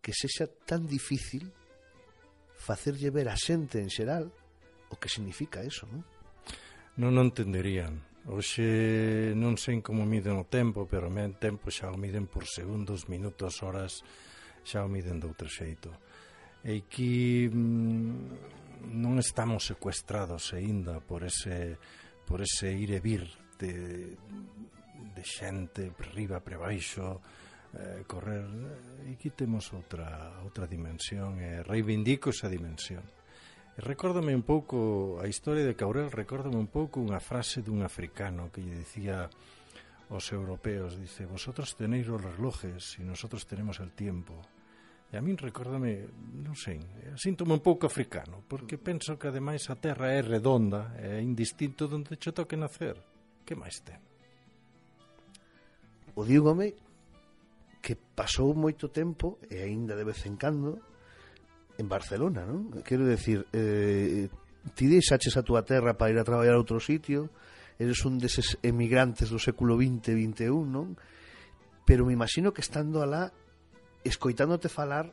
que sexa tan difícil facerlle ver a xente en xeral o que significa eso, non? Non o entenderían. Hoxe non sei como miden o tempo, pero o tempo xa o miden por segundos, minutos, horas, xa o miden de outro xeito. E aquí mmm, non estamos secuestrados aínda por ese, por ese ir e vir de, de xente, por riba, por baixo, eh, correr. E aquí temos outra, outra dimensión, e reivindico esa dimensión. E recórdame un pouco a historia de Caurel, recórdame un pouco unha frase dun africano que lle dicía aos europeos, dice, vosotros tenéis os relojes e nosotros tenemos el tiempo. E a min recórdame, non sei, síntome un pouco africano, porque penso que ademais a terra é redonda, é indistinto donde che toque nacer. Que máis ten? O dígome que pasou moito tempo, e aínda de vez en cando, en Barcelona, non? Quero decir, eh, ti deixaches a túa terra para ir a traballar a outro sitio, eres un deses emigrantes do século vinte, vinte e un, non? Pero me imagino que estando alá, escoitándote falar,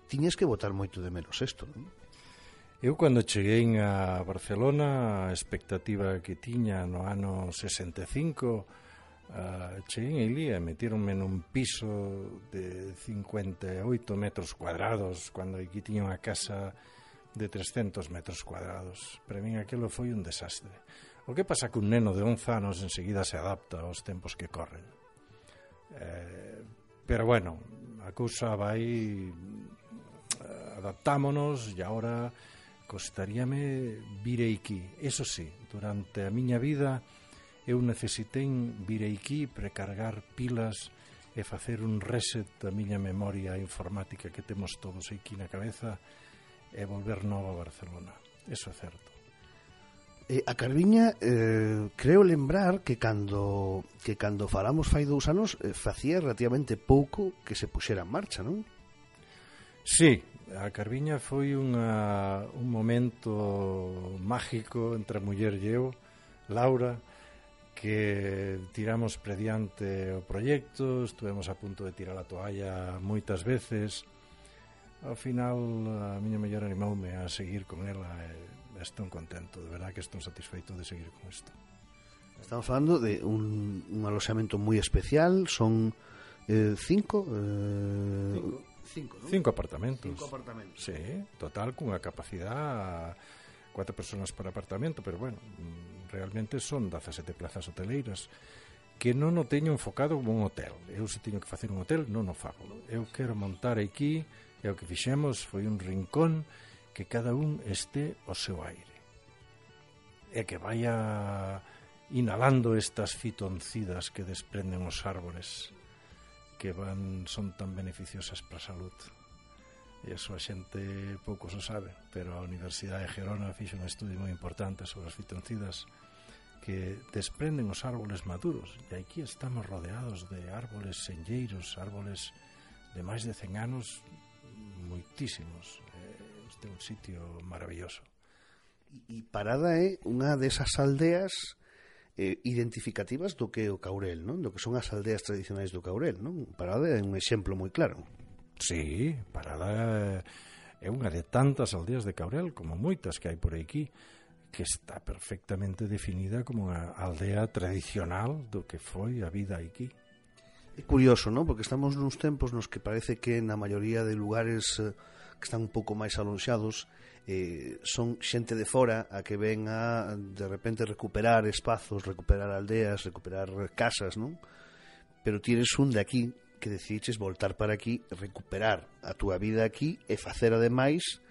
tiñes que botar moito de menos isto, non? Eu, cando cheguei a Barcelona, a expectativa que tiña no ano sesenta e cinco, uh, cheguei ali e metíronme nun piso de cincuenta e oito metros cuadrados, cando aquí tiña unha casa de trescentos metros cuadrados. Para min aquilo foi un desastre. O que pasa que un neno de once anos enseguida se adapta aos tempos que corren. Eh, pero bueno, a cousa vai, adaptámonos, e agora costaríame vir aquí. Eso sí, durante a miña vida eu necesitei vir aquí, precargar pilas e facer un reset da miña memoria informática que temos todos aquí na cabeza e volver novo a Barcelona. Eso é certo. Eh, a Carviña, eh, creo lembrar que cando que cando falamos fai dous anos eh, facía relativamente pouco que se puxera en marcha, non? Sí, a Carviña foi unha, un momento mágico entre a muller e eu, Laura, que tiramos prediante o proxecto, estuvemos a punto de tirar a toalla moitas veces. Ao final a miña muller animoume a seguir con ela e estou contento, de verdad que estou satisfeito de seguir con isto. Estamos falando de un, un aloxamento moi especial, son eh, cinco, eh, cinco, cinco, ¿no? cinco apartamentos. Cinco apartamentos. Sí, total, cunha capacidade cuatro personas por apartamento, pero bueno, realmente son dezasete plazas hoteleiras que non o teño enfocado como un hotel. Eu se teño que facer un hotel, non o fago. Eu quero montar aquí, e o que fixemos foi un rincón que cada un este ao seu aire e que vaya inhalando estas fitoncidas que desprenden os árboles que van son tan beneficiosas para a salud. E iso a xente pouco se sabe, pero a Universidade de Gerona fixe un estudio moi importante sobre as fitoncidas que desprenden os árboles maduros, e aquí estamos rodeados de árboles senlleiros, árboles de máis de cen anos, moitísimos. Este é un sitio maravilloso. E Parada é unha desas aldeas eh, identificativas do que é o Caurel, non? Do que son as aldeas tradicionais do Caurel, non? Parada é un exemplo moi claro. Sí, Parada é unha de tantas aldeas de Caurel, como moitas que hai por aquí, que está perfectamente definida como unha aldea tradicional do que foi a vida aquí. É curioso, non? Porque estamos nuns tempos nos que parece que na maioría de lugares eh, que están un pouco máis alonxados eh, son xente de fora a que ven a de repente recuperar espazos, recuperar aldeas, recuperar casas, non? Pero tienes un de aquí que decidiches voltar para aquí, recuperar a túa vida aquí e facer ademais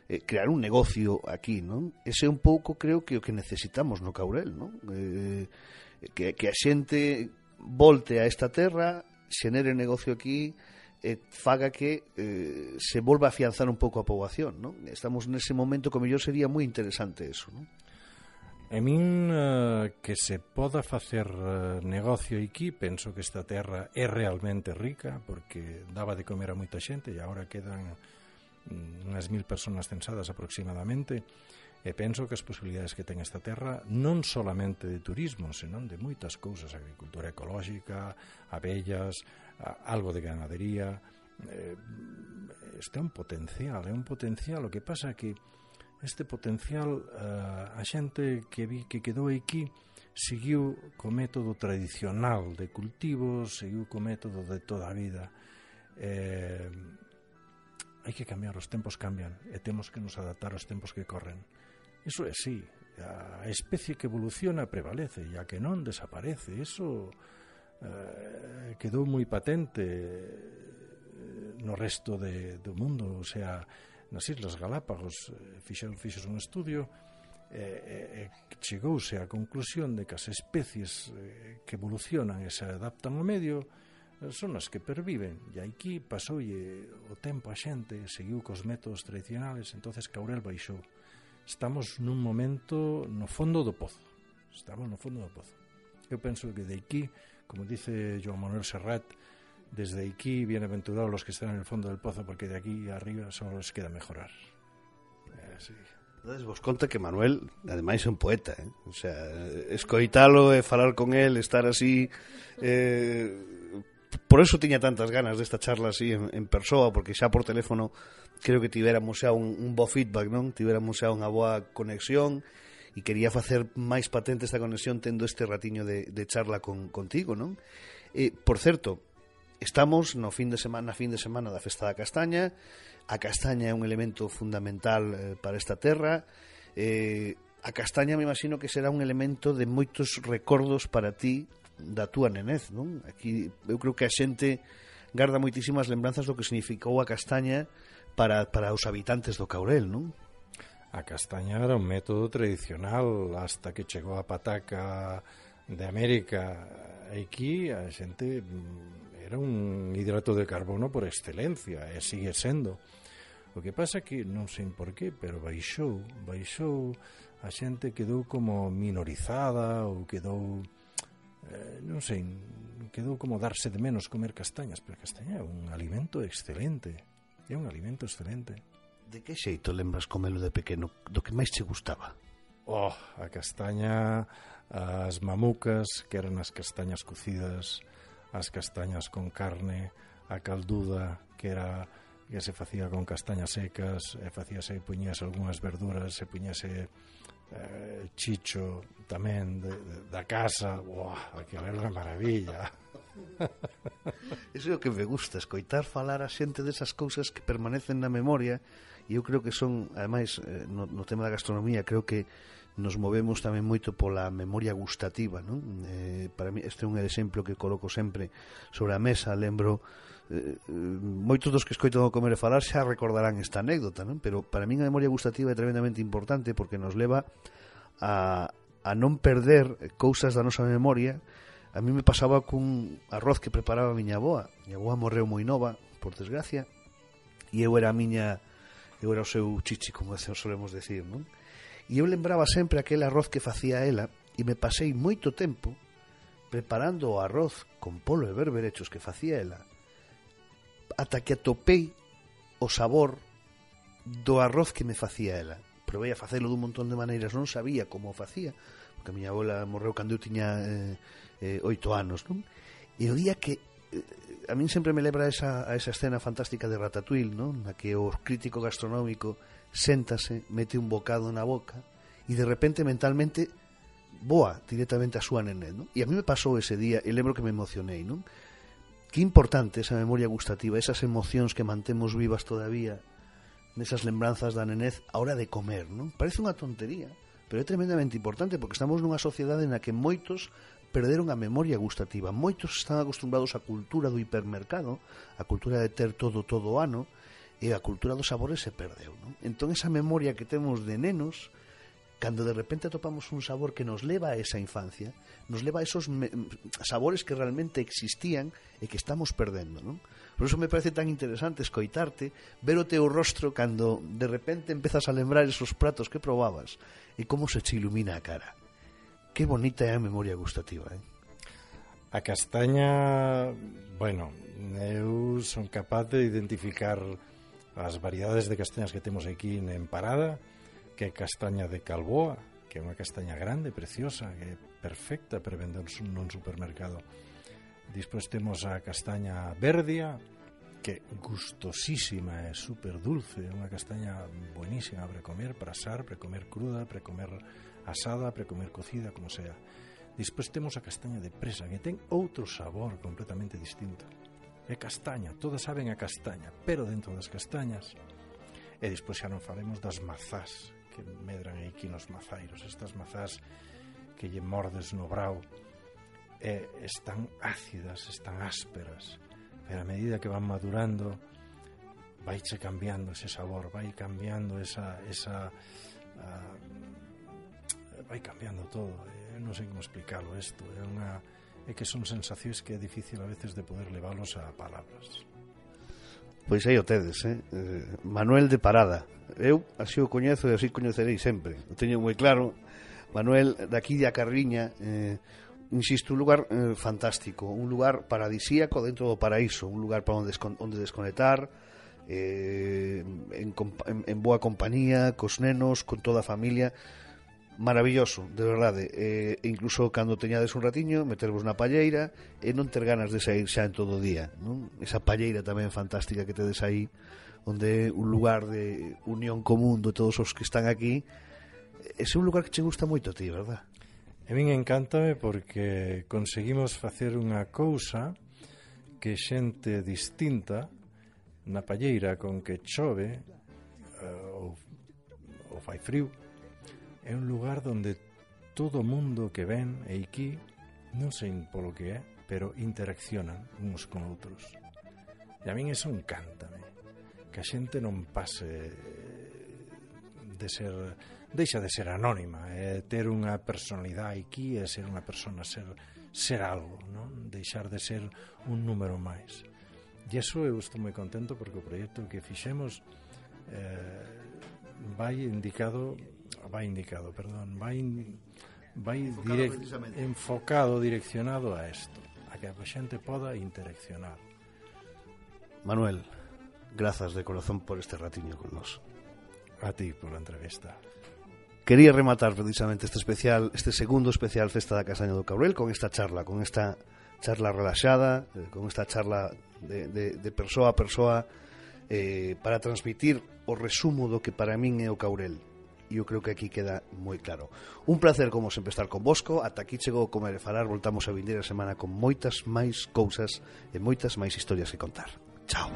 eh, crear un negocio aquí, non? Ese é un pouco, creo que o que necesitamos no Caurel, non? Eh, que, que a xente volte a esta terra, xenere negocio aquí e faga que eh, se volva a afianzar un pouco a poboación, non? Estamos nese momento que mellor sería moi interesante eso, non? A min uh, que se poda facer uh, negocio aquí, penso que esta terra é realmente rica, porque daba de comer a moita xente e agora quedan um, unhas mil personas censadas aproximadamente, e penso que as posibilidades que ten esta terra non solamente de turismo, senón de moitas cousas, agricultura ecolóxica, abellas, a, algo de ganadería. Eh, este é un potencial, é un potencial. O que pasa é que este potencial uh, a xente que vi que quedou aquí seguiu co método tradicional de cultivo, seguiu co método de toda a vida. Eh, hai que cambiar, os tempos cambian e temos que nos adaptar aos tempos que corren. Iso é así, a especie que evoluciona prevalece e a que non desaparece. Iso eh, quedou moi patente eh, no resto de, do mundo, o sea, nas Islas Galápagos eh, fixeron, fixeron un estudio e eh, eh, chegouse á conclusión de que as especies eh, que evolucionan e se adaptan ao medio eh, son as que perviven, e aquí pasoulle o tempo a xente, seguiu cos métodos tradicionales, entonces Caurel baixou. Estamos nun momento no fondo do pozo, estamos no fondo do pozo. Eu penso que de aquí, como dice Joan Manuel Serrat, desde aquí bienaventurados los que están en el fondo del pozo, porque de aquí arriba solo les queda mejorar. Eh, sí. Entonces vos conta que Manuel, ademais, é un poeta, eh? O sea, escoitalo e falar con él, estar así, eh, por eso tiña tantas ganas desta charla así en, en persoa, porque xa por teléfono creo que tivéramos xa un, un bo feedback, non? Tivéramos xa unha boa conexión, e quería facer máis patente esta conexión tendo este ratiño de, de charla con, contigo, non? E, por certo, estamos no fin de semana, fin de semana da Festa da Castaña. A castaña é un elemento fundamental eh, para esta terra. Eh, a castaña me imagino que será un elemento de moitos recordos para ti da túa nenez, non? Aquí eu creo que a xente garda moitísimas lembranzas do que significou a castaña para, para os habitantes do Caurel, non? A castaña era un método tradicional hasta que chegou a pataca de América. Aquí a xente era un hidrato de carbono por excelencia e sigue sendo. O que pasa que non sei por qué, pero baixou, baixou, a xente quedou como minorizada ou quedou, eh, non sei, quedou como darse de menos comer castañas, pero a castaña é un alimento excelente, é un alimento excelente. De que xeito lembras comelo de pequeno, do que máis che gustaba? Oh, a castaña, as mamucas, que eran as castañas cocidas, as castañas con carne, a calduda, que era que se facía con castañas secas, e facíase, puñíase algunhas verduras, se puñíase eh, chicho tamén de, de, da casa. Buah, aquilo era unha maravilla. Iso é o que me gusta, escoitar falar a xente desas cousas que permanecen na memoria, e eu creo que son, ademais, no, no tema da gastronomía, creo que nos movemos tamén moito pola memoria gustativa, non? Eh, para mí, este é un exemplo que coloco sempre sobre a mesa. Lembro, eh, moitos dos que escoito comer e falar xa recordarán esta anécdota, non? Pero para mí a memoria gustativa é tremendamente importante porque nos leva a, a non perder cousas da nosa memoria. A mí me pasaba cun arroz que preparaba a miña avoa. Miña avoa morreu moi nova, por desgracia, e eu era a miña, eu era o seu chichi, como solemos decir, non? E eu lembraba sempre aquel arroz que facía ela, e me pasei moito tempo preparando o arroz con polo e berberechos que facía ela, ata que atopei o sabor do arroz que me facía ela. Provei a facelo dun montón de maneiras, non sabía como o facía, porque a miña abuela morreu cando eu tiña eh, eh, oito anos, non? E o día que eh, a min sempre me lembra esa, a esa escena fantástica de Ratatouille, non? Na que o crítico gastronómico séntase, mete un bocado na boca e de repente mentalmente voa directamente a súa nenén, non? E a mí me pasou ese día e lembro que me emocionei, non? Que importante esa memoria gustativa, esas emocións que mantemos vivas todavía nesas lembranzas da nenez a hora de comer, non? Parece unha tontería, pero é tremendamente importante porque estamos nunha sociedade na que moitos perderon a memoria gustativa, moitos están acostumbrados á cultura do hipermercado, a cultura de ter todo todo o ano, e a cultura dos sabores se perdeu, non? Entón esa memoria que temos de nenos, cando de repente atopamos un sabor que nos leva a esa infancia, nos leva a esos sabores que realmente existían e que estamos perdendo, non? Por eso me parece tan interesante escoitarte, ver o teu rostro cando de repente empezas a lembrar esos pratos que probabas e como se che ilumina a cara. Que bonita é a memoria gustativa, eh? A castaña, bueno, eu son capaz de identificar as variedades de castañas que temos aquí en Parada, que é castaña de Calboa, que é unha castaña grande, preciosa, que é perfecta para vender nun supermercado. Despois temos a castaña verdia, que é gustosísima, é super dulce, é unha castaña buenísima para comer, para asar, para comer cruda, para comer asada, para comer cocida, como sea. Despois temos a castaña de presa, que ten outro sabor completamente distinto. É castaña, todas saben a castaña, pero dentro das castañas. E despois xa non falemos das mazás que medran aquí nos mazairos, estas mazás que lle mordes no brao eh, están ácidas, están ásperas, pero a medida que van madurando vaiche cambiando ese sabor, vai cambiando esa, esa uh, vai cambiando todo. Eh, non sei como explicarlo isto, é unha é que son sensacións que é difícil a veces de poder leválos a palabras. Pois aí o tedes, eh? eh Manuel de Parada. Eu así o coñezo e así coñecerei sempre. O teño moi claro. Manuel, daqui de A Carriña, eh, insisto, un lugar eh, fantástico, un lugar paradisíaco dentro do paraíso, un lugar para onde, descon- onde desconectar, eh, en, en, en boa compañía, cos nenos, con toda a familia. Maravilloso, de verdade. Eh, incluso cando teñades un ratiño, metervos na palleira e non ter ganas de sair xa en todo o día, non? Esa palleira tamén fantástica que tedes aí, onde é un lugar de unión común de todos os que están aquí. Ese é un lugar que che gusta moito a ti, verdad? A min encántame porque conseguimos facer unha cousa que xente distinta na palleira con que chove uh, ou, ou fai frío. É un lugar onde todo o mundo que ven e aquí, non sei polo que é, pero interaccionan uns con outros. E a min eso encántame, que a xente non pase de ser, deixa de ser anónima, é ter unha personalidade aquí, é ser unha persona, ser, ser algo, non? Deixar de ser un número máis. E iso eu estou moi contento porque o proxecto que fixemos eh, vai indicado vai indicado, perdón, vai vai direct, enfocado, direccionado a isto, a que a xente poda interaccionar. Manuel, grazas de corazón por este ratiño con nós. A ti pola entrevista. Quería rematar precisamente este especial, este segundo especial Festa da Castaña do Cabrel con esta charla, con esta charla relaxada, eh, con esta charla de, de, de persoa a persoa, eh, para transmitir o resumo do que para min é o Caurel. E eu creo que aquí queda moi claro. Un placer, como sempre, estar convosco. Ata aquí chegou Comer e Falar. Voltamos a vindeira semana con moitas máis cousas e moitas máis historias que contar. Chao.